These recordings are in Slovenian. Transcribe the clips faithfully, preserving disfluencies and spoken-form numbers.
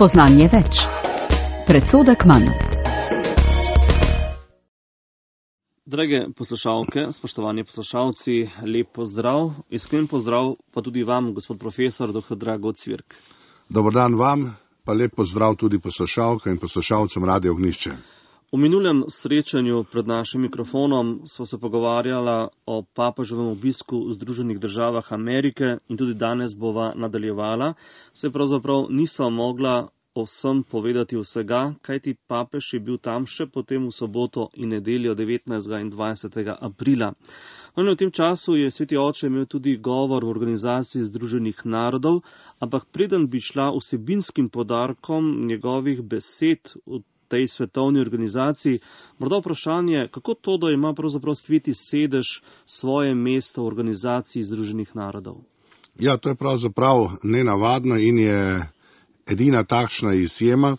Spoznanje več. Predsodek manj. Drage poslušalke, spoštovani poslušalci, lep pozdrav. Iskren pozdrav pa tudi vam, gospod profesor doktor Drago Cvirk. Dobar dan vam, pa lep pozdrav tudi poslušalkam in poslušalcem Radia Ognjišče. V minulem srečanju pred našim mikrofonom smo se pogovarjala o papeževem obisku v Združenih državah Amerike in tudi danes bova nadaljevala. Se pravzaprav nisem mogla o vsem povedati vsega, kajti papež je bil tam še potem v soboto in nedeljo devetnajstega in dvajsetega aprila. No, in v tem času je sveti oče imel tudi govor v organizaciji Združenih narodov, ampak preden bi šla vsebinskim podarkom njegovih besed v tej svetovni organizaciji, morda vprašanje, kako to, da ima pravzaprav sveti sedež svoje mesto v organizaciji Združenih narodov? Ja, to je pravzaprav nenavadno in je edina takšna izjema.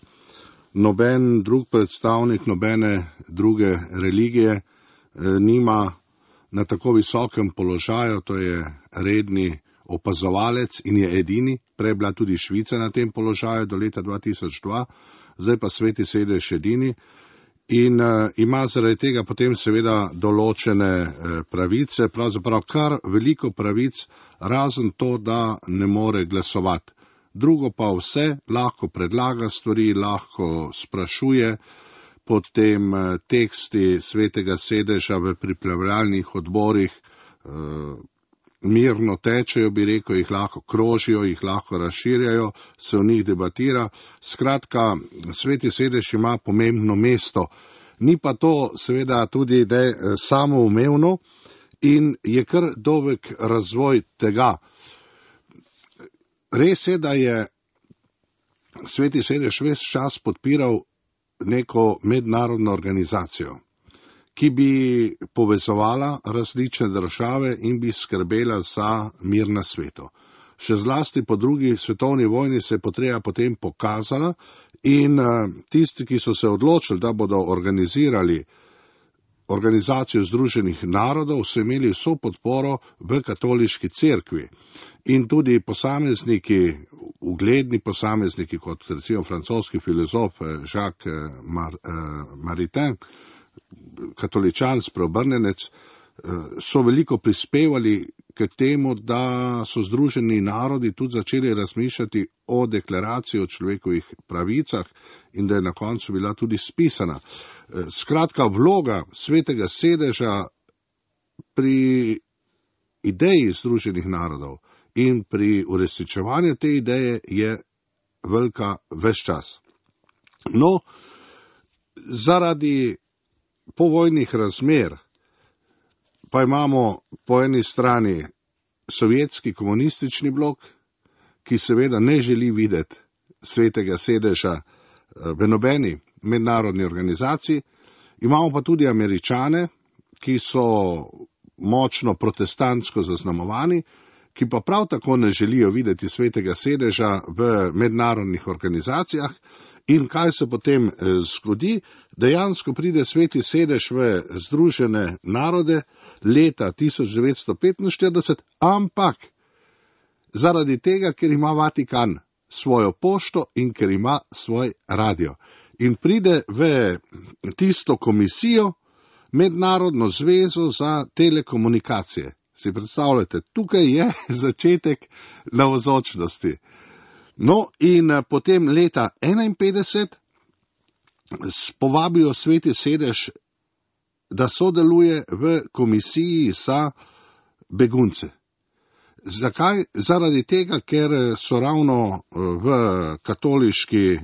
Noben drug predstavnik, nobene druge religije nima na tako visokem položaju, to je redni opazovalec in je edini. Prej je bila tudi Švica na tem položaju do leta dva tisoč dva, zdaj pa sveti sedež edini in uh, ima zaradi tega potem seveda določene uh, pravice, pravzaprav kar veliko pravic, razen to, da ne more glasovati. Drugo pa vse, lahko predlaga stvari, lahko sprašuje, potem uh, teksti svetega sedeža v pripravljalnih odborih uh, mirno tečejo, bi rekel, jih lahko krožijo, jih lahko razširjajo, se o njih debatira. Skratka, sveti sedež ima pomembno mesto. Ni pa to seveda tudi da samoumevno in je kar dolg razvoj tega. Res je, da je sveti sedež ves čas podpiral neko mednarodno organizacijo, ki bi povezovala različne države in bi skrbela za mir na svetu. Še zlasti po drugi svetovni vojni se je potreba potem pokazala in tisti, ki so se odločili, da bodo organizirali organizacijo Združenih narodov, so imeli vso podporo v katoliški cerkvi. In tudi posamezniki, ugledni posamezniki, kot recimo francoski filozof Jacques Mar, eh, Maritain, katoličan, spreobrnenec, so veliko prispevali k temu, da so Združeni narodi tudi začeli razmišljati o deklaraciji o človekovih pravicah in da je na koncu bila tudi spisana. Skratka, vloga svetega sedeža pri ideji Združenih narodov in pri uresničevanju te ideje je velika ves čas. No, zaradi povojnih razmer pa imamo po eni strani sovjetski komunistični blok, ki seveda ne želi videti svetega sedeža v nobeni mednarodni organizaciji. Imamo pa tudi Američane, ki so močno protestantsko zaznamovani, ki pa prav tako ne želijo videti svetega sedeža v mednarodnih organizacijah. In kaj se potem zgodi? Dejansko pride sveti sedež v Združene narode leta tisoč devetsto petinštirideset, ampak zaradi tega, ker ima Vatikan svojo pošto in ker ima svoj radio. In pride v tisto komisijo, Mednarodno zvezo za telekomunikacije. Si predstavljate, tukaj je začetek navzočnosti. No, in potem leta enainpetdeset povabijo sveti sedež, da sodeluje v komisiji za begunce. Zakaj? Zaradi tega, ker so ravno v katoliški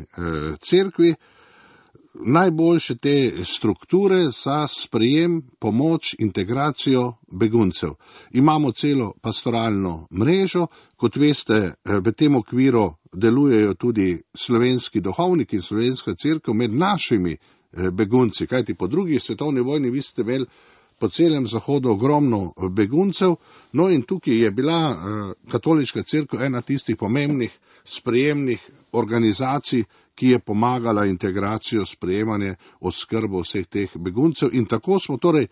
cerkvi najboljše te strukture za sprejem, pomoč, integracijo beguncev. Imamo celo pastoralno mrežo, kot veste, v tem okviru delujejo tudi slovenski duhovniki in slovenska cerkev med našimi begunci, kajti po drugi svetovni vojni vi ste imeli po celem Zahodu ogromno beguncev, no in tukaj je bila katoliška cerkev ena tistih pomembnih sprejemnih organizacij, ki je pomagala integracijo, sprejemanje, oskrbo vseh teh beguncev. In tako smo torej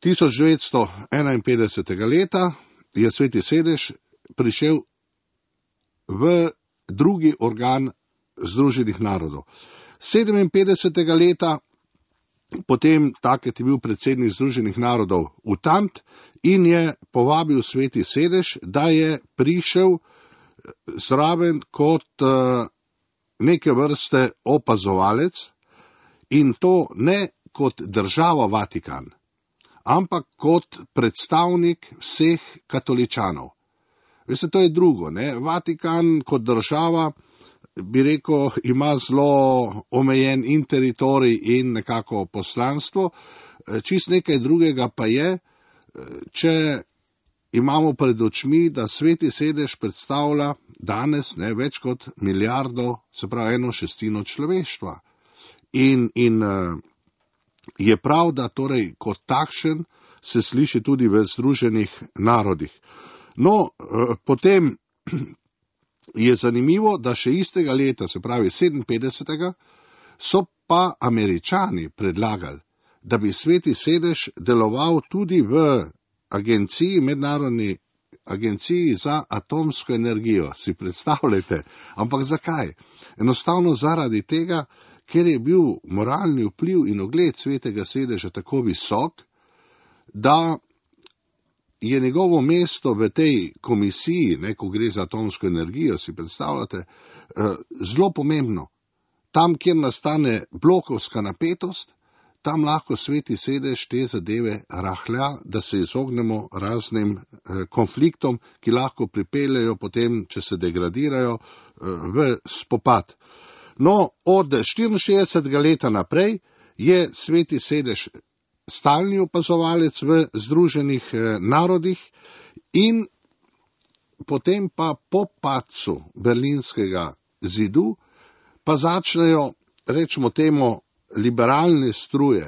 tisoč devetsto enainpetdesetega leta je sveti sedež prišel v drugi organ Združenih narodov. sedeminpetdesetega leta potem takrat je bil predsednik Združenih narodov Utant in je povabil Sveti sedež, da je prišel zraven kot neke vrste opazovalec in to ne kot država Vatikan, ampak kot predstavnik vseh katoličanov. Veste, to je drugo, ne? Vatikan kot država, bi rekel, ima zelo omejen in teritorij in nekako poslanstvo. Čist nekaj drugega pa je, če imamo pred očmi, da Sveti sedež predstavlja danes ne, več kot milijardo, se pravi eno šestino človeštva. In, in je prav, da torej kot takšen se sliši tudi v Združenih narodih. No, potem je zanimivo, da še istega leta, se pravi sedeminpetdesetega, so pa Američani predlagali, da bi Sveti sedež deloval tudi v agenciji, mednarodni agenciji za atomsko energijo. Si predstavljate? Ampak zakaj? Enostavno zaradi tega, ker je bil moralni vpliv in ugled Svetega sedeža tako visok, da je njegovo mesto v tej komisiji, ne, ko gre za atomsko energijo, si predstavljate, zelo pomembno. Tam, kjer nastane blokovska napetost, tam lahko Sveti sedež te zadeve rahlja, da se izognemo raznim konfliktom, ki lahko pripeljejo potem, če se degradirajo, v spopad. No, od štiriinšestdesetega leta naprej je Sveti sedež stalni opazovalec v Združenih narodih in potem pa po padcu Berlinskega zidu pa začnejo, rečemo temu, liberalne struje,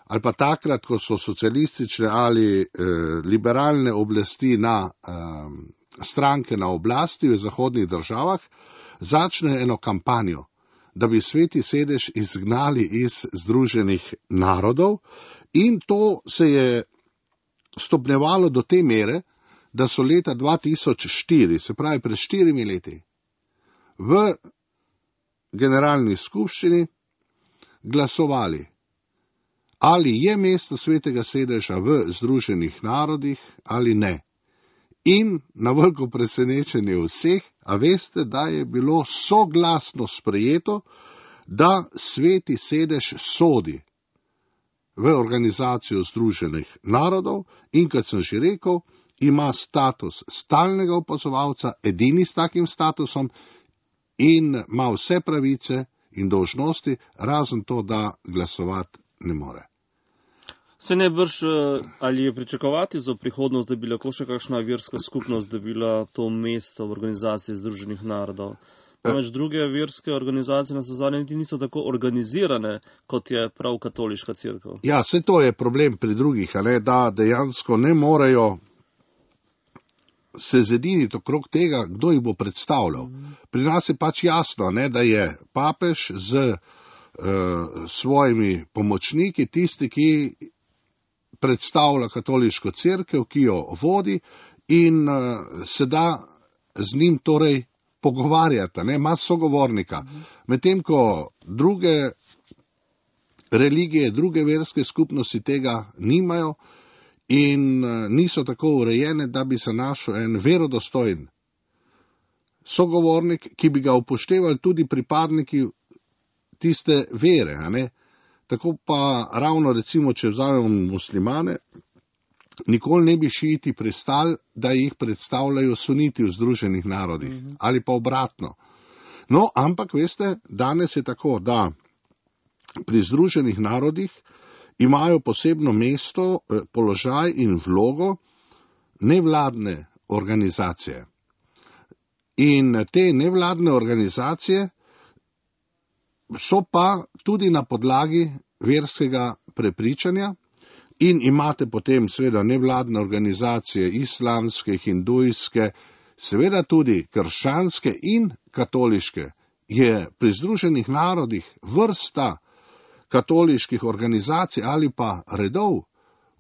ali pa takrat, ko so socialistične ali eh, liberalne oblasti na eh, stranke na oblasti v zahodnih državah, začne eno kampanjo, da bi Sveti sedež izgnali iz Združenih narodov, in to se je stopnjevalo do te mere, da so leta dva tisoč štiri, se pravi pred štirimi leti, v generalni skupščini glasovali, ali je mesto Svetega sedeža v Združenih narodih ali ne. In na veliko presenečenje vseh, a veste, da je bilo soglasno sprejeto, da Sveti sedež sodi v organizacijo Združenih narodov in, kot sem že rekel, ima status stalnega opazovalca, edini s takim statusom, in ima vse pravice in dolžnosti, razen to, da glasovati ne more. Se ne brž, ali je pričakovati za prihodnost, da bi lahko še kakšna verska skupnost dobila to mesto v organizaciji Združenih narodov? Namreč druge verske organizacije na zadnje niti niso tako organizirane, kot je prav katoliška cerkev. Ja, vse to je problem pri drugih, a ne, da dejansko ne morejo se zediniti okrog tega, kdo jih bo predstavljal. Pri nas je pač jasno, ne, da je papež z uh, svojimi pomočniki tisti, ki predstavlja katoliško cerkev, ki jo vodi, in uh, se da z njim torej pogovarjati, ne, ima sogovornika. Medtem ko druge religije, druge verske skupnosti tega nimajo in uh, niso tako urejene, da bi se našel en verodostojen sogovornik, ki bi ga upoštevali tudi pripadniki tiste vere, a ne. Tako pa ravno recimo, če vzamemo muslimane, nikoli ne bi šiiti pristali, da jih predstavljajo suniti v Združenih narodih, mm-hmm. ali pa obratno. No, ampak veste, danes je tako, da pri Združenih narodih imajo posebno mesto, položaj in vlogo nevladne organizacije. In te nevladne organizacije so pa tudi na podlagi verskega prepričanja in imate potem seveda nevladne organizacije, islamske, hindujske, seveda tudi krščanske in katoliške. Je pri Združenih narodih vrsta katoliških organizacij ali pa redov,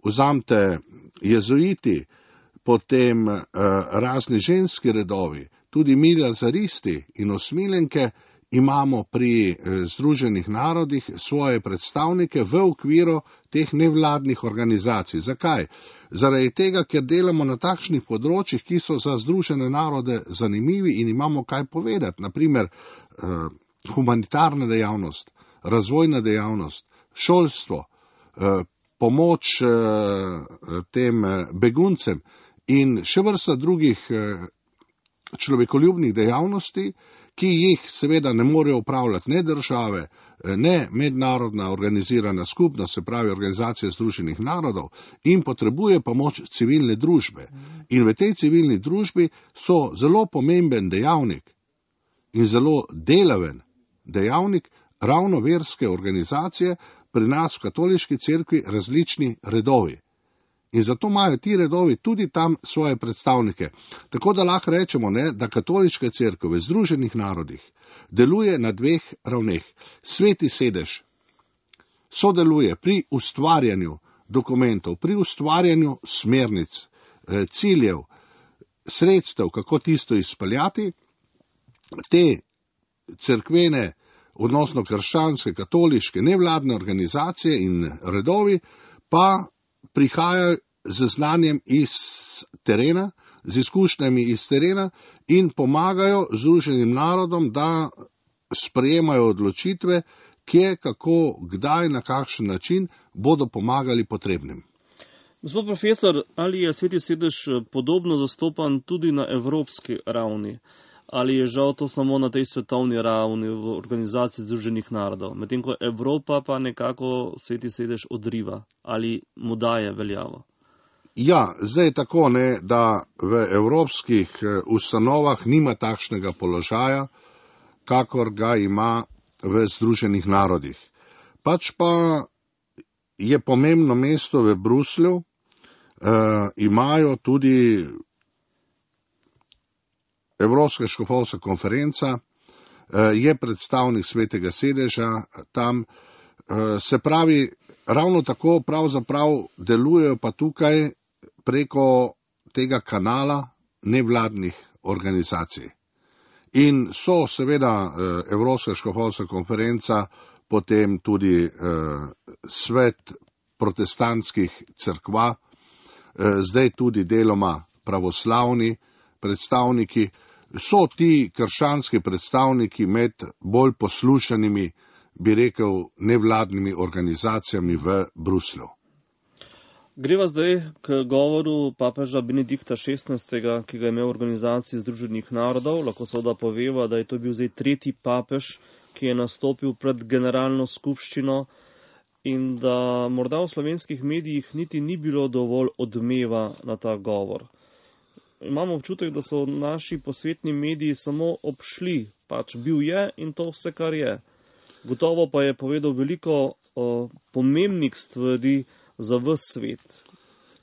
vzamte jezuiti, potem eh, razni ženski redovi, tudi mi lazaristi in osmiljenke imamo pri Združenih narodih svoje predstavnike v okviru teh nevladnih organizacij. Zakaj? Zaradi tega, ker delamo na takšnih področjih, ki so za Združene narode zanimivi in imamo kaj povedati. Naprimer, eh, humanitarna dejavnost, razvojna dejavnost, šolstvo, eh, pomoč eh, tem beguncem in še vrsta drugih eh, človekoljubnih dejavnosti, ki jih seveda ne morejo upravljati ne države, ne mednarodna organizirana skupnost, se pravi Organizacija Združenih narodov, in potrebuje pomoč civilne družbe. In v tej civilni družbi so zelo pomemben dejavnik in zelo delaven dejavnik ravno verske organizacije, pri nas v katoliški cerkvi različni redovi. In zato imajo ti redovi tudi tam svoje predstavnike. Tako da lahko rečemo, ne, da katoliška cerkev v Združenih narodih deluje na dveh ravneh. Sveti sedež sodeluje pri ustvarjanju dokumentov, pri ustvarjanju smernic, ciljev, sredstev, kako tisto izpeljati. Te cerkvene, odnosno krščanske, katoliške, nevladne organizacije in redovi pa prihajajo z znanjem iz terena, z izkušnjami iz terena in pomagajo Združenim narodom, da sprejemajo odločitve, kje, kako, kdaj, na kakšen način bodo pomagali potrebnim. Gospod profesor, ali je Sveti sedež podobno zastopan tudi na evropski ravni? Ali je žal to samo na tej svetovni ravni v Organizaciji Združenih narodov, medtem ko Evropa pa nekako Sveti sedež odriva ali mu daje veljavo? Ja, zdaj je tako, ne, da v evropskih ustanovah nima takšnega položaja, kakor ga ima v Združenih narodih. Pač pa je pomembno mesto v Bruslju, eh, imajo tudi Evropska škofovska konferenca, je predstavnik Svetega sedeža tam, se pravi, ravno tako pravzaprav delujejo pa tukaj preko tega kanala nevladnih organizacij. In so seveda Evropska škofovska konferenca, potem tudi svet protestantskih cerkva, zdaj tudi deloma pravoslavni predstavniki, so ti krščanski predstavniki med bolj poslušanimi, bi rekel, nevladnimi organizacijami v Bruslju. Greva zdaj k govoru papeža Benedikta šestnajstega, ki ga je imel v Organizaciji Združenih narodov. Lahko seveda poveva, da je to bil zdaj tretji papež, ki je nastopil pred generalno skupščino in da morda v slovenskih medijih niti ni bilo dovolj odmeva na ta govor. Imamo občutek, da so naši posvetni mediji samo obšli, pač bil je in to vse, kar je. Gotovo pa je povedal veliko o, pomembnih stvari za ves svet.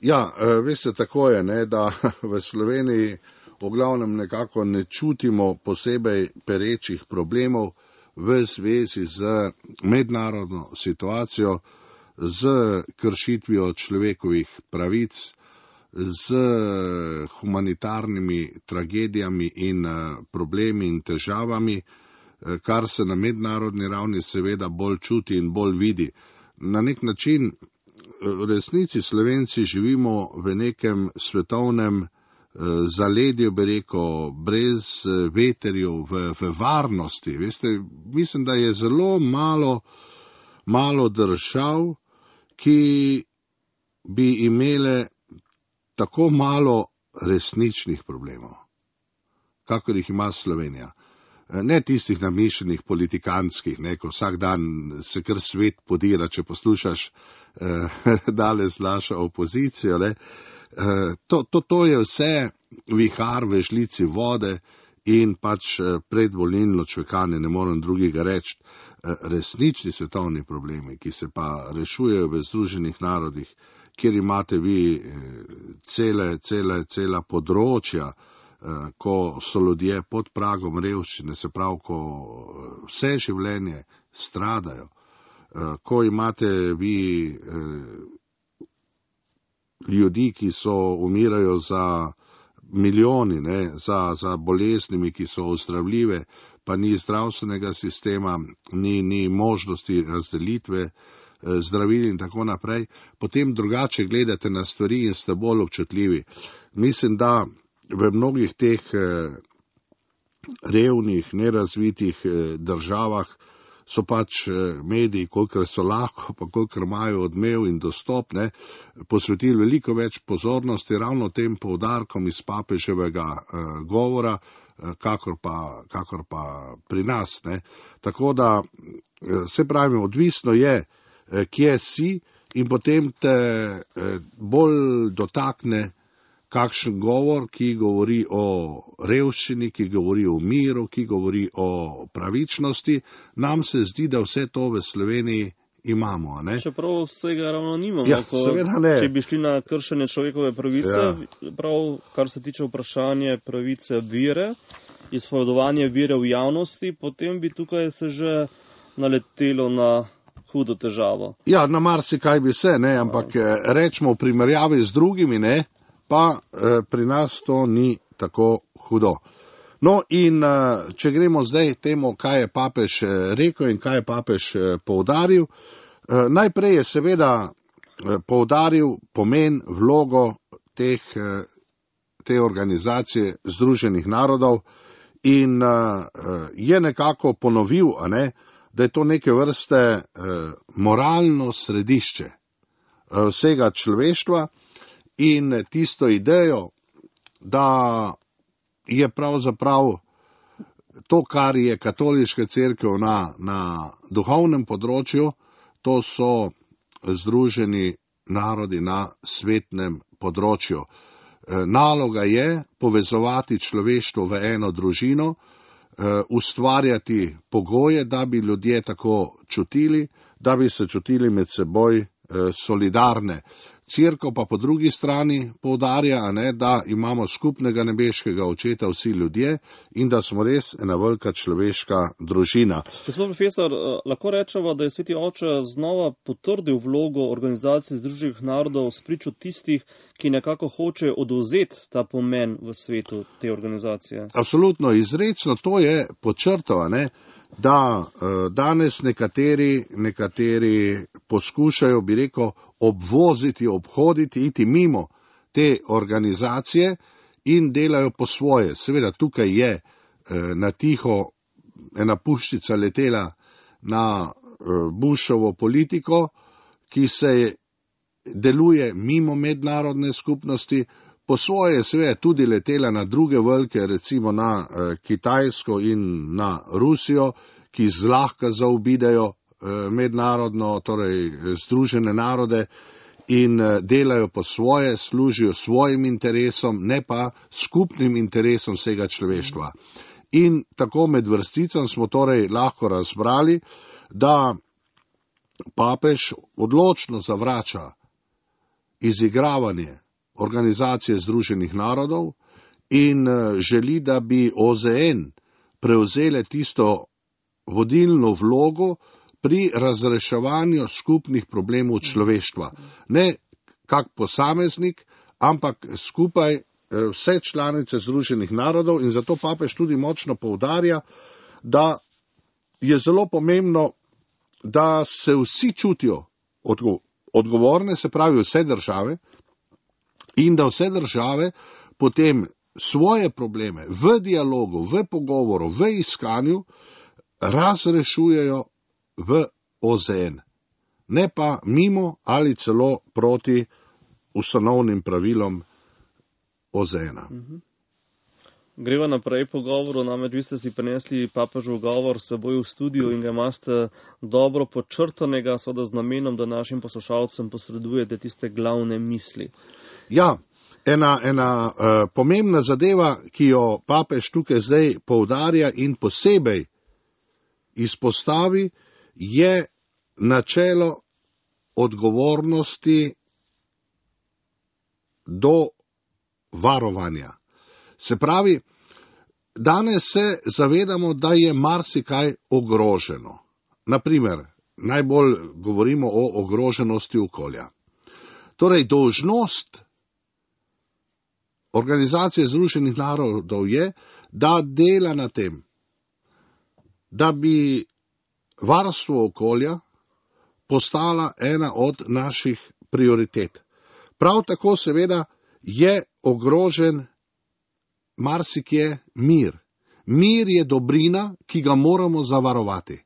Ja, veste, tako je, ne, da v Sloveniji v glavnem nekako ne čutimo posebej perečih problemov v zvezi z mednarodno situacijo, z kršitvijo človekovih pravic, z humanitarnimi tragedijami in problemi in težavami, kar se na mednarodni ravni seveda bolj čuti in bolj vidi. Na nek način v resnici Slovenci živimo v nekem svetovnem zaledju, bi rekel, brez veterjev, v, v varnosti. Veste, mislim, da je zelo malo, malo držav, ki bi imele tako malo resničnih problemov, kakor jih ima Slovenija. Ne tistih namišljenih politikanskih, ne, ko vsak dan se kar svet podira, če poslušaš eh, danes našo opozicijo. Ne. Eh, to, to, to je vse vihar v žlici vode in pač predvolilno čvekanje, ne morem drugega reči. Eh, resnični svetovni problemi, ki se pa rešujejo v Združenih narodih, kjer imate vi cele, cele, cela področja, ko so ljudje pod pragom revščine, se pravi, ko vse življenje stradajo, ko imate vi ljudi, ki so umirajo za milijoni ne, za, za boleznimi, ki so ozdravljive, pa ni zdravstvenega sistema, ni, ni možnosti razdelitve zdravil in tako naprej, potem drugače gledate na stvari in ste bolj občutljivi. Mislim, da v mnogih teh revnih, nerazvitih državah so pač mediji, kolikor so lahko, pa kolikor imajo odmev in dostop, ne, posvetili veliko več pozornosti ravno tem poudarkom iz papeževega eh, govora, eh, kakor, pa, kakor pa pri nas. Ne. Tako da, eh, se pravi, odvisno je, eh, kje si in potem te eh, bolj dotakne kakšen govor, ki govori o revščini, ki govori o miru, ki govori o pravičnosti. Nam se zdi, da vse to v Sloveniji imamo. Ne? Čeprav vsega ravno nimamo. Ja, ko, seveda ne. Če bi šli na kršenje človekove pravice, ja. prav kar se tiče vprašanje pravice vere, izpovedovanje vere v javnosti, potem bi tukaj se že naletelo na hudo težavo. Ja, na marsikaj bi se, ne, ampak ja. rečemo v primerjavi z drugimi, ne, pa eh, pri nas to ni tako hudo. No in eh, če gremo zdaj temu, kaj je papež eh, rekel in kaj je papež eh, poudaril, eh, najprej je seveda eh, poudaril pomen, vlogo teh, eh, te organizacije Združenih narodov in eh, je nekako ponovil, a ne, da je to neke vrste eh, moralno središče eh, vsega človeštva, in tisto idejo, da je pravzaprav to, kar je katoliška cerkev na, na duhovnem področju, to so združeni narodi na svetnem področju. Naloga je povezovati človeštvo v eno družino, ustvarjati pogoje, da bi ljudje tako čutili, da bi se čutili med seboj solidarne. Cerkev pa po drugi strani poudarja, ne, da imamo skupnega nebeškega očeta vsi ljudje in da smo res ena velika človeška družina. Gospod profesor, lahko rečemo, da je Sveti Oče znova potrdil vlogo Organizacije Združenih narodov spričo tistih, ki nekako hočejo odvzeti ta pomen v svetu te organizacije. Absolutno, izrecno to je podčrtal, ne, da danes nekateri, nekateri poskušajo, bi rekel, obvoziti, obhoditi, iti mimo te organizacije in delajo po svoje. Seveda tukaj je na tiho ena puščica letela na Bushovo politiko, ki se deluje mimo mednarodne skupnosti, po svoje je seveda tudi letela na druge velike, recimo na Kitajsko in na Rusijo, ki zlahka zaobidejo mednarodno, torej Združene narode in delajo po svoje, služijo svojim interesom, ne pa skupnim interesom vsega človeštva. In tako med vrsticam smo torej lahko razbrali, da papež odločno zavrača izigravanje Organizacije Združenih narodov in želi, da bi O Z N prevzele tisto vodilno vlogo pri razreševanju skupnih problemov človeštva. Ne kak posameznik, ampak skupaj vse članice Združenih narodov in zato papež tudi močno poudarja, da je zelo pomembno, da se vsi čutijo odgovorne, se pravi vse države, in da vse države potem svoje probleme v dialogu, v pogovoru, v iskanju razrešujejo v O Z N, ne pa mimo ali celo proti ustanovnim pravilom O Z N-a. Greva naprej po govoru, namreč vi ste si prinesli papežev govor s seboj v studiu in ga imate dobro podčrtanega, seveda z namenom, da našim poslušalcem posredujete tiste glavne misli. Ja, ena, ena uh, pomembna zadeva, ki jo papež tukaj zdaj poudarja in posebej izpostavi, je načelo odgovornosti do varovanja. Se pravi, danes se zavedamo, da je marsikaj ogroženo. Naprimer, najbolj govorimo o ogroženosti okolja. Torej, dolžnost Organizacije Združenih narodov je, da dela na tem, da bi varstvo okolja postala ena od naših prioritet. Prav tako seveda je ogrožen marsikje mir. Mir je dobrina, ki ga moramo zavarovati.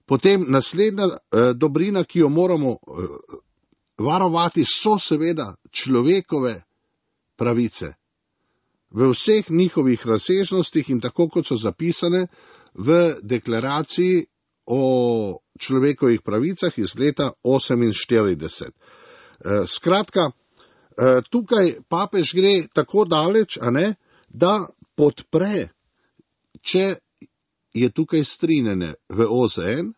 Potem naslednja eh, dobrina, ki jo moramo eh, varovati, so seveda človekove pravice. V vseh njihovih razsežnostih in tako, kot so zapisane v deklaraciji o človekovih pravicah iz leta oseminštirideset. Eh, skratka, eh, tukaj papež gre tako daleč, a ne, da podpre, če je tukaj strinjanje v O Z N,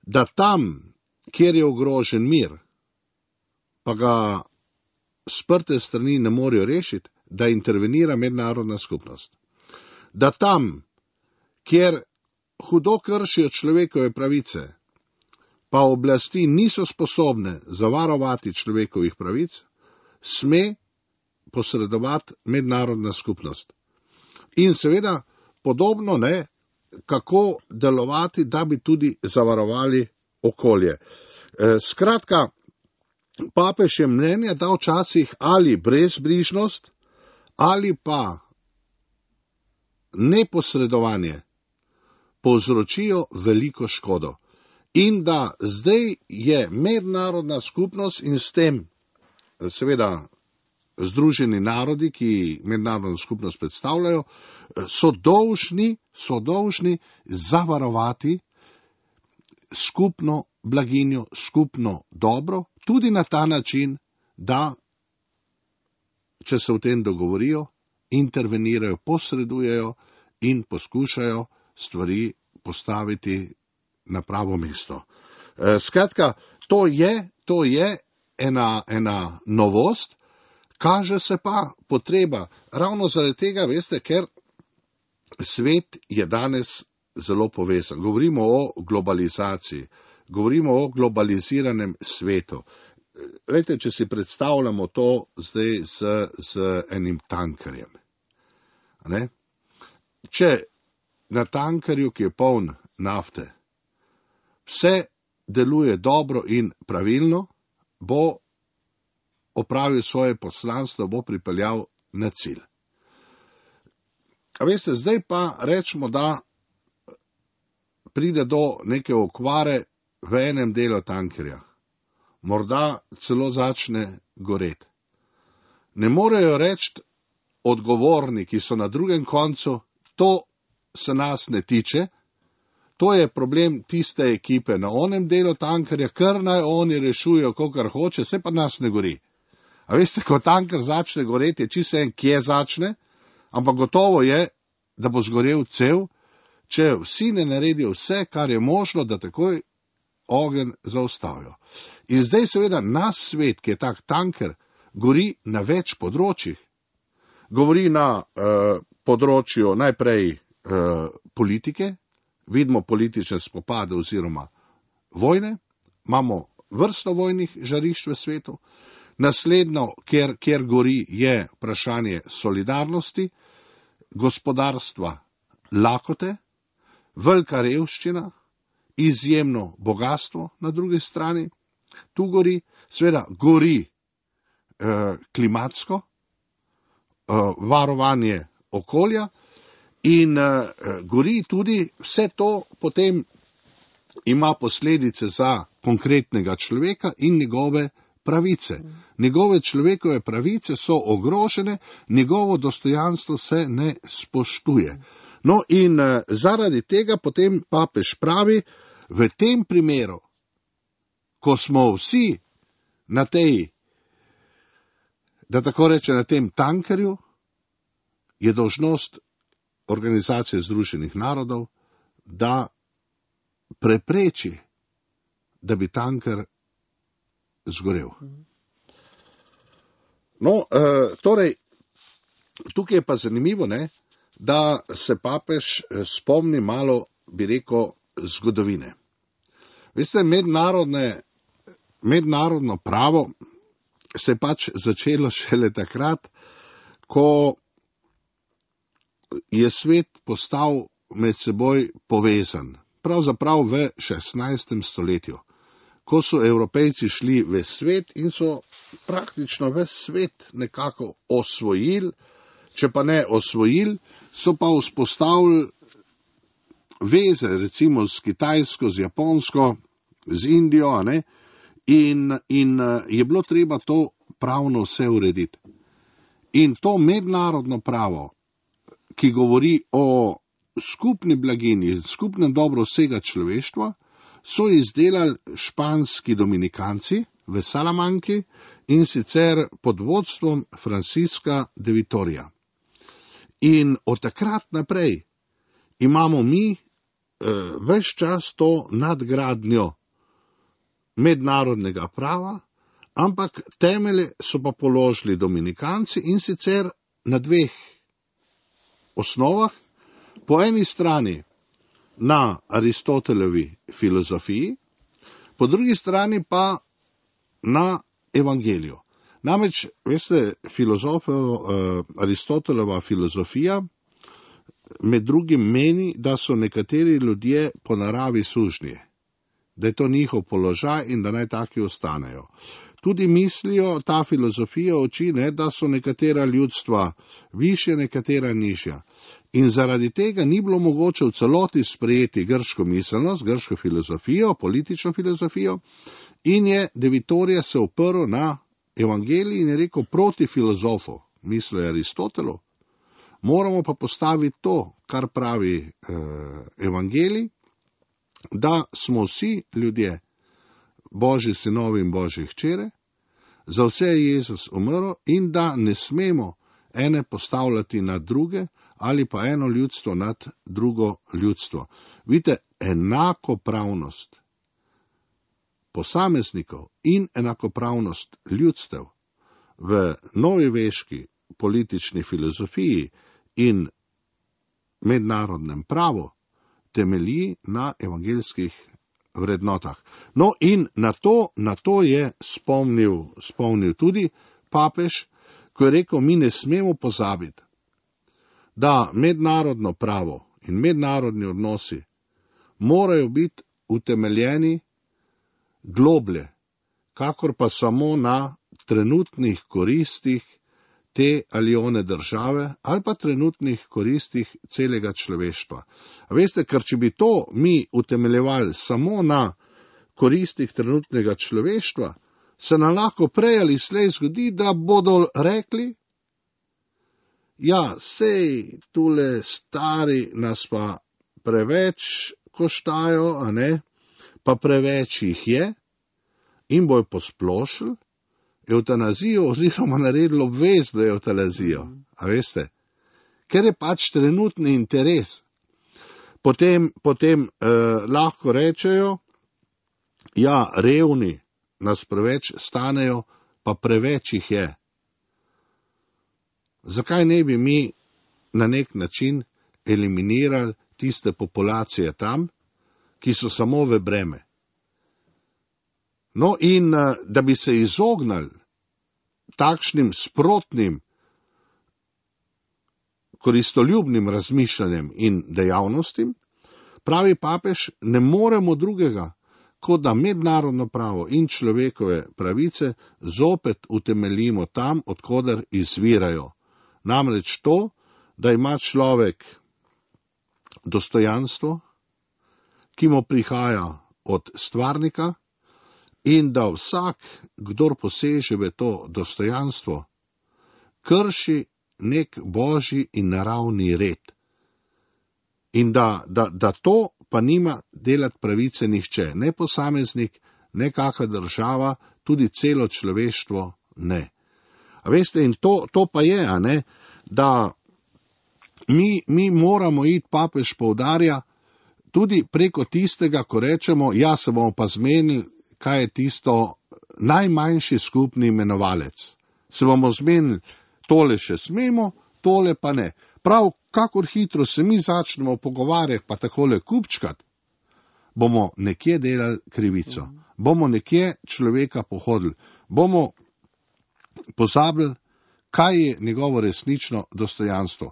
da tam, kjer je ogrožen mir, pa ga sprte strani ne morejo rešiti, da intervenira mednarodna skupnost. Da tam, kjer hudo kršijo človekove pravice, pa oblasti niso sposobne zavarovati človekovih pravic, sme posredovati mednarodna skupnost. In seveda podobno ne, kako delovati, da bi tudi zavarovali okolje. E, skratka, papež je mnenja, da včasih ali brezbrižnost ali pa neposredovanje povzročijo veliko škodo. In da zdaj je mednarodna skupnost in s tem seveda Združeni narodi, ki mednarodno skupnost predstavljajo, so dolžni, so dolžni zavarovati skupno blaginjo, skupno dobro, tudi na ta način, da, če se v tem dogovorijo, intervenirajo, posredujejo in poskušajo stvari postaviti na pravo mesto. Skratka, to je, to je ena, ena novost. Kaže se pa potreba, ravno zaradi tega, veste, ker svet je danes zelo povezan. Govorimo o globalizaciji, govorimo o globaliziranem svetu. Veste, če si predstavljamo to zdaj z, z enim tankerjem. Ne? Če na tankerju, ki je poln nafte, vse deluje dobro in pravilno, bo opravil svoje poslanstvo, bo pripeljal na cilj. A veste, zdaj pa rečemo, da pride do neke okvare v enem delu tankerja. Morda celo začne goreti. Ne morejo reči odgovorni, ki so na drugem koncu, to se nas ne tiče, to je problem tiste ekipe na onem delu tankerja, kar naj oni rešujejo, kakor hoče, se pa nas ne gori. A veste, ko tanker začne goreti, je čisto en, kje začne, ampak gotovo je, da bo zgorel cel, če vsi ne naredijo vse, kar je možno, da takoj ogenj zaustavijo. In zdaj seveda naš svet, ki je tak tanker, gori na več področjih. Govori na uh, področju najprej uh, politike, vidimo politične spopade oziroma vojne, imamo vrsto vojnih žarišč v svetu. Naslednjo, kjer, kjer gori, je vprašanje solidarnosti, gospodarstva, lakote, velika revščina, izjemno bogatstvo na drugi strani. Tu gori, seveda gori eh, klimatsko, eh, varovanje okolja in eh, gori tudi vse to potem ima posledice za konkretnega človeka in njegove pravice. Njegove človekove pravice so ogrožene, njegovo dostojanstvo se ne spoštuje. No in uh, zaradi tega potem papež pravi, v tem primeru, ko smo vsi na tej, da tako reče, na tem tankerju, je dolžnost Organizacije Združenih narodov, da prepreči, da bi tanker zgorel. No, uh, torej, tukaj je pa zanimivo, ne, da se papež spomni malo, bi rekel, zgodovine. Veste, mednarodne, mednarodno pravo se je pač začelo šele takrat, ko je svet postal med seboj povezan. Pravzaprav v šestnajstem stoletju, ko so Evropejci šli v svet in so praktično ves svet nekako osvojili, če pa ne osvojili, so pa vzpostavili veze, recimo s Kitajsko, z Japonsko, z Indijo, a ne, in, in je bilo treba to pravno vse urediti. In to mednarodno pravo, ki govori o skupni blagini, skupnem dobro vsega človeštva, so izdelali španski dominikanci v Salamanki in sicer pod vodstvom Francisca de Vitoria. In od takrat naprej imamo mi eh, ves čas to nadgradnjo mednarodnega prava, ampak temelje so pa položili dominikanci in sicer na dveh osnovah. Po eni strani na Aristotelovi filozofiji, po drugi strani pa na evangeliju. Namreč, veste, filozofov, eh, Aristotelova filozofija med drugim meni, da so nekateri ljudje po naravi sužnji, da je to njihov položaj in da naj taki ostanejo. Tudi mislijo, ta filozofija uči, ne, da so nekatera ljudstva višje, nekatera nižja. In zaradi tega ni bilo mogoče v celoti sprejeti grško miselnost, grško filozofijo, politično filozofijo, in je De Vitoria se oprl na evangelij in je rekel proti filozofu, mislil je Aristotelu, moramo pa postaviti to, kar pravi eh, evangelij, da smo vsi ljudje Božji sinovi in Božji hčere, za vse je Jezus umrl in da ne smemo ene postavljati nad druge ali pa eno ljudstvo nad drugo ljudstvo. Vidite, enakopravnost posameznikov in enakopravnost ljudstev v novoveški politični filozofiji in mednarodnem pravu temelji na evangeljskih vrednotah. No in na to, na to je spomnil, spomnil tudi papež, ko je rekel, mi ne smemo pozabiti, da mednarodno pravo in mednarodni odnosi morajo biti utemeljeni globlje, kakor pa samo na trenutnih koristih te ali one države ali pa trenutnih koristih celega človeštva. A veste, ker če bi to mi utemeljevali samo na koristih trenutnega človeštva, se nam lahko prej ali slej zgodi, da bodo rekli, ja, sej tule stari nas pa preveč koštajo, a ne, pa preveč jih je, in bojo posplošili evtanazijo oziroma naredili obvezno evtanazijo, a veste, ker je pač trenutni interes. Potem, potem eh, lahko rečejo, ja, revni nas preveč stanejo, pa preveč jih je. Zakaj ne bi mi na nek način eliminirali tiste populacije tam, ki so samo v breme? No in da bi se izognili takšnim sprotnim, koristoljubnim razmišljanjem in dejavnostim, pravi papež, ne moremo drugega, kot da mednarodno pravo in človekove pravice zopet utemeljimo tam, odkoder izvirajo. Namreč to, da ima človek dostojanstvo, ki mu prihaja od stvarnika, in da vsak, kdor poseže v to dostojanstvo, krši nek božji in naravni red. In da, da, da to pa nima delati pravice nihče, ne posameznik, ne kakšna država, tudi celo človeštvo ne. A veste, in to, to pa je, a ne, da mi, mi moramo iti, papež poudarja, tudi preko tistega, ko rečemo, ja, se bomo pa zmenili, kaj je tisto najmanjši skupni imenovalec. Se bomo zmenili, tole še smemo, tole pa ne. Prav, kakor hitro se mi začnemo pogovarjati, pa takole kupčkat, bomo nekje delali krivico. Bomo nekje človeka pohodili. Bomo pozabili, kaj je njegovo resnično dostojanstvo.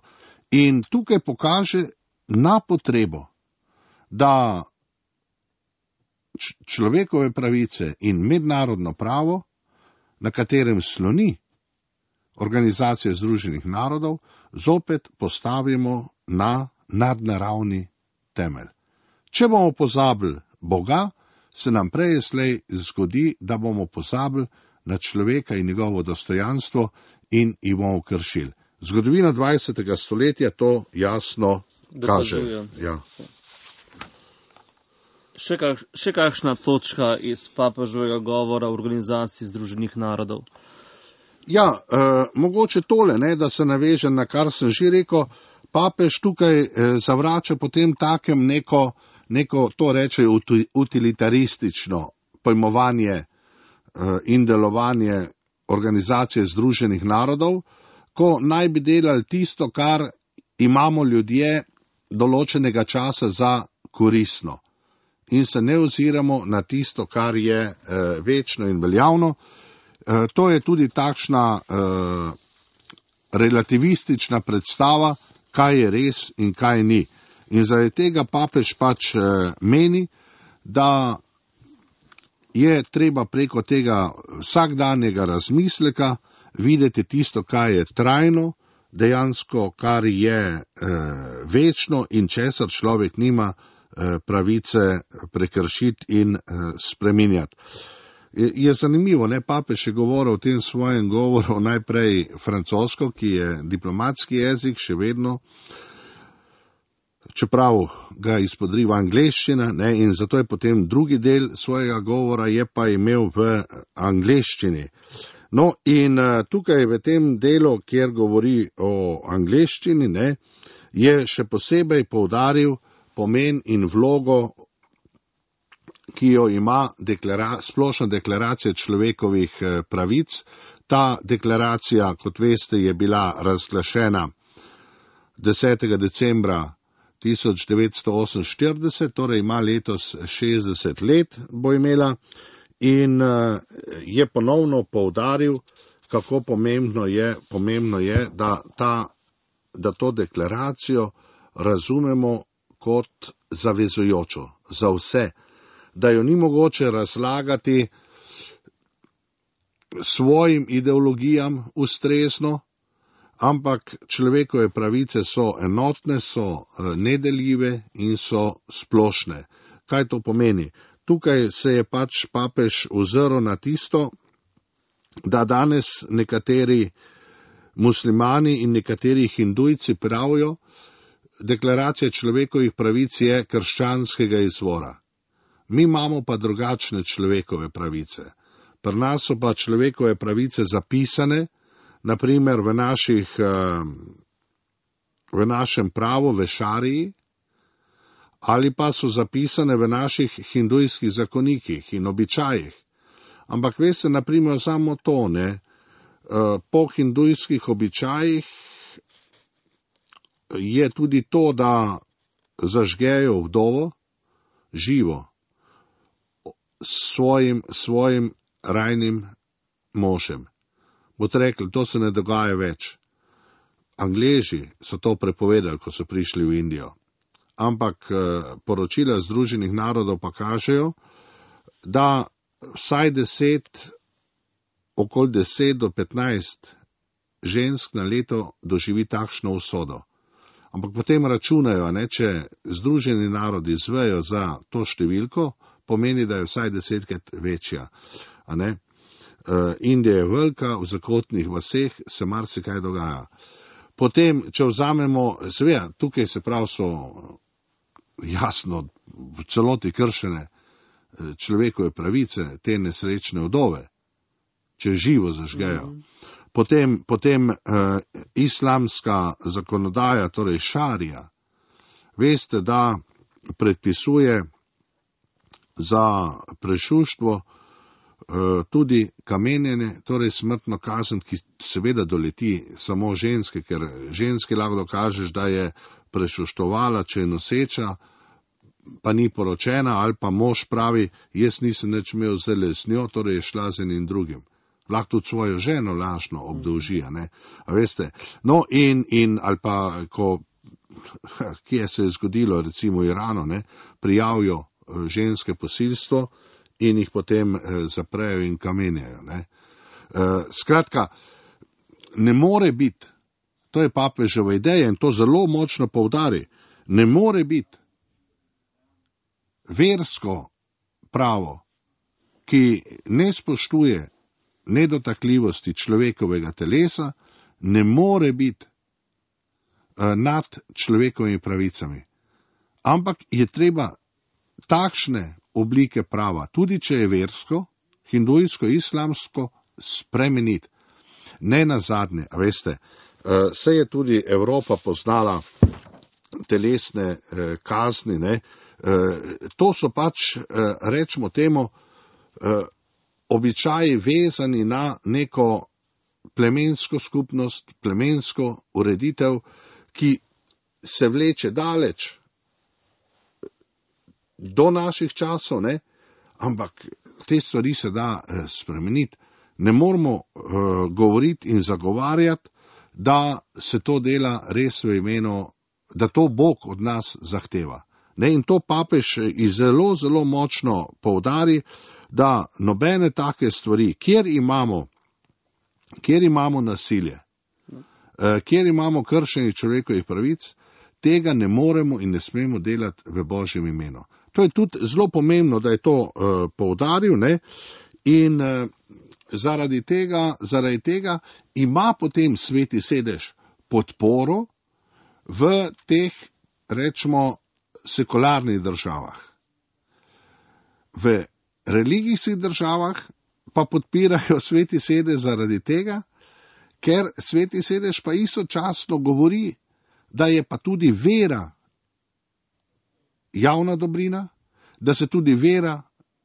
In tukaj pokaže na potrebo, da človekove pravice in mednarodno pravo, na katerem sloni Organizacija Združenih narodov, zopet postavimo na nadnaravni temelj. Če bomo pozabili Boga, se nam prej slej zgodi, da bomo pozabili na človeka in njegovo dostojanstvo in jih bomo kršili. Zgodovina dvajsetega stoletja to jasno kaže. Ja. Še, kak, še kakšna točka iz papeževega govora v Organizaciji Združenih narodov? Ja, eh, mogoče tole, ne, da se navežem na kar sem že rekel, papež tukaj eh, zavrača potem takem neko, neko to reče utilitaristično pojmovanje eh, in delovanje Organizacije Združenih narodov, ko naj bi delali tisto, kar imamo ljudje določenega časa za koristno. In se ne oziramo na tisto, kar je eh, večno in veljavno. Eh, to je tudi takšna eh, relativistična predstava, kaj je res in kaj ni. In zaradi tega papež pač eh, meni, da je treba preko tega vsakdanjega razmisleka videti tisto, kaj je trajno, dejansko, kar je eh, večno in česar človek nima pravice prekršiti in spreminjati. Je zanimivo, ne, papež je govoril v tem svojem govoru najprej francosko, ki je diplomatski jezik še vedno, čeprav ga izpodriva angleščina, ne, in zato je potem drugi del svojega govora je pa imel v angleščini. No, in tukaj v tem delu, kjer govori o angleščini, ne, je še posebej poudaril pomen in vlogo, ki jo ima deklara, splošna deklaracija človekovih pravic. Ta deklaracija, kot veste, je bila razglašena desetega decembra tisoč devetsto oseminštirideset, torej ima letos šestdeset let, bo imela, in je ponovno poudaril, kako pomembno je, pomembno je da, ta, da to deklaracijo razumemo kot zavezujočo za vse, da jo ni mogoče razlagati svojim ideologijam ustrezno, ampak človekove pravice so enotne, so nedeljive in so splošne. Kaj to pomeni? Tukaj se je pač papež ozrl na tisto, da danes nekateri muslimani in nekateri hindujci pravijo, deklaracija človekovih pravic je krščanskega izvora. Mi imamo pa drugačne človekove pravice. Pri nas so pa človekove pravice zapisane, naprimer v, naših, v našem pravu, v šariji, ali pa so zapisane v naših hindujskih zakonikih in običajih. Ampak veste, naprimer, samo to, ne, po hindujskih običajih je tudi to, da zažgejo vdovo živo svojim, svojim rajnim možem. Boste rekli, to se ne dogaja več. Angleži so to prepovedali, ko so prišli v Indijo. Ampak poročila Združenih narodov pa kažejo, da vsaj deset, okoli deset do petnajst žensk na leto doživi takšno usodo. Ampak potem računajo, ne, če Združeni narodi zvejo za to številko, pomeni, da je vsaj desetkrat večja. A ne? Uh, Indija je velika, v zakotnih vaseh se marsikaj dogaja. Potem, če vzamemo, seveda, tukaj se prav so jasno v celoti kršene človekove pravice, te nesrečne vdove, če živo zažgejo. Mm-hmm. Potem, potem uh, islamska zakonodaja, torej šarija, veste, da predpisuje za prešuštvo uh, tudi kamenjenje, torej smrtno kazen, ki seveda doleti samo ženske, ker ženske lahko dokažeš, da je prešuštovala, če je noseča, pa ni poročena, ali pa mož pravi, jaz nisem nič imel zdaj z njo, torej je šla z enim drugim. lahko tudi svojo ženo lažno obdolži, a ne, a veste, no in, in ali pa, ko, kje se je zgodilo, recimo v Iranu, ne, prijavijo ženske posilstvo in jih potem eh, zaprejo in kamenjajo, ne. Eh, skratka, ne more biti, to je papeževa ideja in to zelo močno poudari, ne more biti versko pravo, ki ne spoštuje nedotakljivosti človekovega telesa, ne more biti uh, nad človekovimi pravicami. Ampak je treba takšne oblike prava, tudi če je versko, hindujsko, islamsko, spremeniti. Ne nazadnje, a veste, uh, se je tudi Evropa poznala telesne uh, kazni, ne, uh, to so pač, uh, rečemo temu, uh, običaji vezani na neko plemensko skupnost, plemensko ureditev, ki se vleče daleč do naših časov, ne? Ampak te stvari se da eh, spremeniti. Ne moramo uh, govoriti in zagovarjati, da se to dela res v imenu, da to Bog od nas zahteva. Ne? In to papež zelo, zelo močno poudari, da nobene take stvari, kjer imamo, kjer imamo nasilje, uh, kjer imamo kršenje človekovih pravic, tega ne moremo in ne smemo delati v Božjem imenu. To je tudi zelo pomembno, da je to uh, poudaril, ne, in uh, zaradi tega, zaradi tega ima potem Sveti sedež podporo v teh, rečemo, sekularnih državah. V religijskih državah pa podpirajo Sveti sedež zaradi tega, ker Sveti sedež pa istočasno govori, da je pa tudi vera javna dobrina, da se tudi vera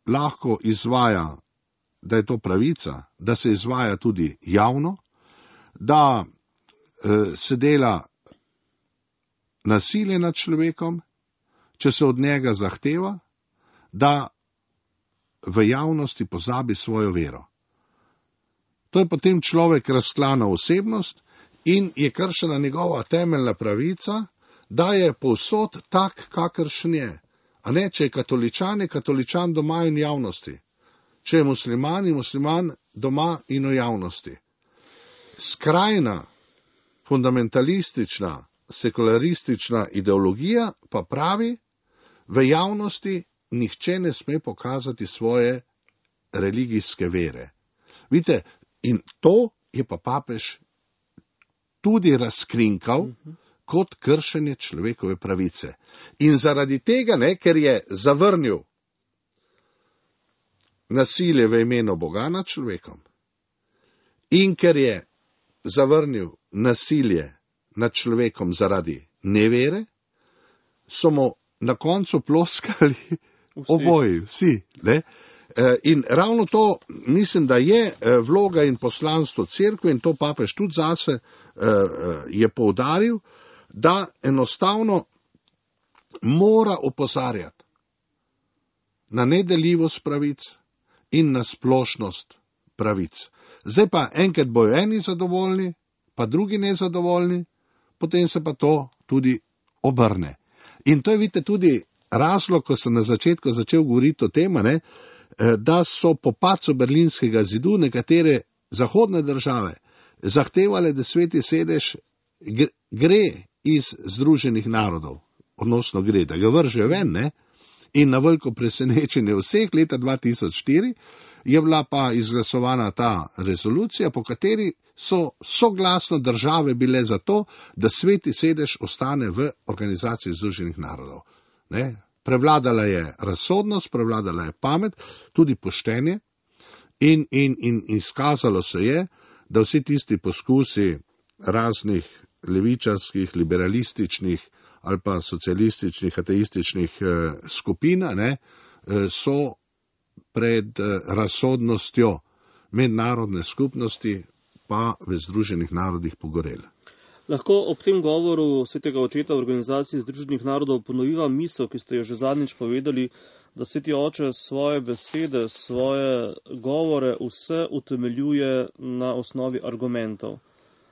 lahko izvaja, da je to pravica, da se izvaja tudi javno, da eh, se dela nasilje nad človekom, če se od njega zahteva, da v javnosti pozabi svojo vero. To je potem človek razklana osebnost in je kršena njegova temeljna pravica, da je povsod tak, kakršen je. A ne, če je katoličan, je katoličan doma in javnosti. Če je musliman, je musliman doma in v javnosti. Skrajna, fundamentalistična, sekularistična ideologija pa pravi, v javnosti nihče ne sme pokazati svoje religijske vere. Vidite, in to je pa papež tudi razkrinkal kot kršenje človekove pravice. In zaradi tega, ne, ker je zavrnil nasilje v imenu Boga nad človekom in ker je zavrnil nasilje nad človekom zaradi nevere, so mu na koncu ploskali vsi. Oboji, vsi. Ne? In ravno to, mislim, da je vloga in poslanstvo cerkve in to papež tudi zase je poudaril, da enostavno mora opozarjati na nedeljivost pravic in na splošnost pravic. Zdaj pa enkrat bojo eni zadovoljni, pa drugi nezadovoljni, potem se pa to tudi obrne. In to je, vidite, tudi razlog, ko sem na začetku začel govoriti o tem, ne, da so po padcu Berlinskega zidu nekatere zahodne države zahtevale, da Sveti sedež gre iz Združenih narodov, odnosno gre, da ga vržejo ven, ne? In na veliko presenečenje vseh leta dva tisoč štiri je bila pa izglasovana ta rezolucija, po kateri so soglasno države bile za to, da Sveti sedež ostane v Organizaciji Združenih narodov. Ne? Prevladala je razsodnost, prevladala je pamet, tudi poštenje in, in, in izkazalo se je, da vsi tisti poskusi raznih levičarskih, liberalističnih ali pa socialističnih, ateističnih eh, skupin, ne, eh, so pred eh, razsodnostjo mednarodne skupnosti pa v Združenih narodih pogoreli. Lahko ob tem govoru svetega očeta v Organizaciji Združenih narodov ponoviva misel, ki ste jo že zadnjič povedali, da sveti oče svoje besede, svoje govore vse utemeljuje na osnovi argumentov.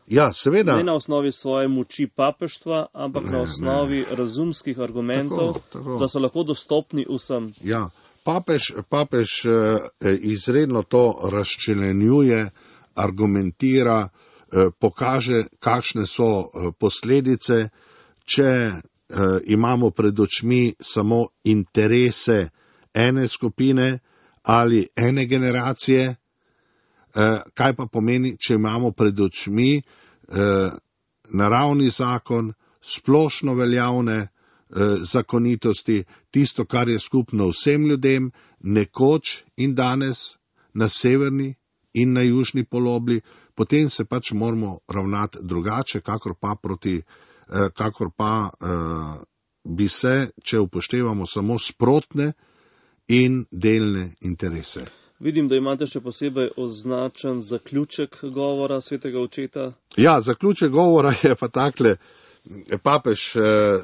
Ja, seveda. Ne na osnovi svoje moči papeštva, ampak ne, na osnovi ne. razumskih argumentov, tako, tako. Da so lahko dostopni vsem. Ja, papež, papež izredno to razčlenjuje, argumentira, pokaže, kakšne so posledice, če imamo pred očmi samo interese ene skupine ali ene generacije, kaj pa pomeni, če imamo pred očmi naravni zakon, splošno veljavne zakonitosti, tisto, kar je skupno vsem ljudem, nekoč in danes na severni in na južni polobli, potem se pač moramo ravnati drugače, kakor pa, proti, kakor pa bi se, če upoštevamo samo sprotne in delne interese. Vidim, da imate še posebej označen zaključek govora svetega očeta. Ja, zaključek govora je pa takle. Papež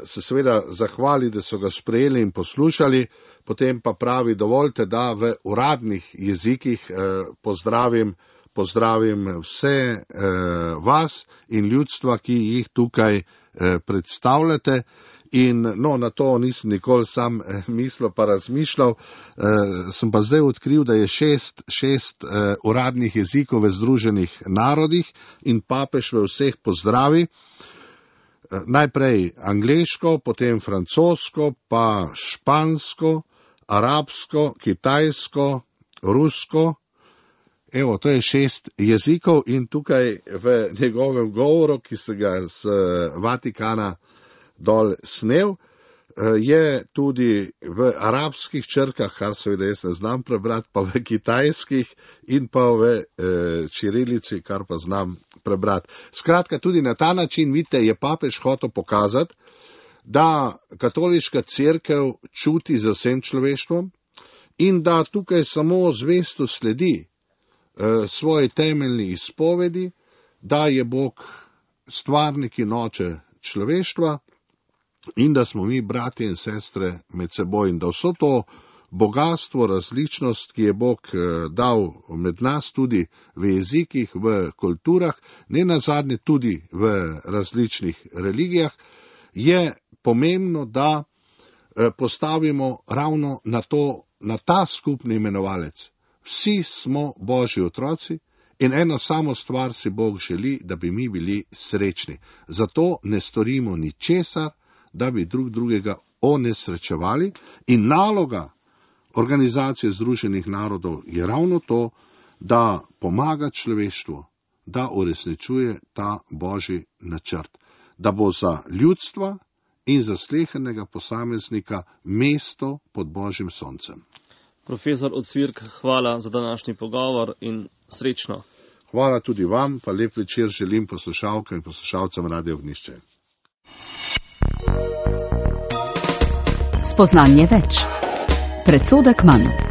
se seveda zahvali, da so ga sprejeli in poslušali, potem pa pravi, dovolite, da v uradnih jezikih pozdravim, pozdravim vse vas in ljudstva, ki jih tukaj predstavljate. In no, na to nisem nikoli sam mislil pa razmišljal, sem pa zdaj odkril, da je šest, šest uradnih jezikov v Združenih narodih in papež v vseh pozdravi. Najprej angleško, potem francosko, pa špansko, arabsko, kitajsko, rusko. Evo, to je šest jezikov in tukaj v njegovem govoru, ki se ga z Vatikana dol snel, je tudi v arabskih črkah, kar seveda jaz ne znam prebrati, pa v kitajskih in pa v e, čirilici, kar pa znam prebrati. Skratka, tudi na ta način, vidite, je papež hotel pokazati, da katoliška cerkev čuti z vsem človeštvom in da tukaj samo zvesto sledi e, svoji temeljni izpovedi, da je Bog stvarnik in oče človeštva, in da smo mi bratje in sestre med seboj in da vso to bogatstvo, različnost, ki je Bog dal med nas tudi v jezikih, v kulturah, ne nazadnje tudi v različnih religijah, je pomembno, da postavimo ravno na, to, na ta skupni imenovalec. Vsi smo Božji otroci in eno samo stvar si Bog želi, da bi mi bili srečni. Zato ne storimo ničesar, da bi drug drugega onesrečevali in naloga Organizacije Združenih narodov je ravno to, da pomaga človeštvu, da uresničuje ta Božji načrt, da bo za ljudstva in za slehernega posameznika mesto pod Božjim soncem. Profesor Ocvirk, hvala za današnji pogovor in srečno. Hvala tudi vam, pa lep večer želim poslušalkam in poslušalcem Radia Ognjišče. Spoznanje več. Predsodek manj.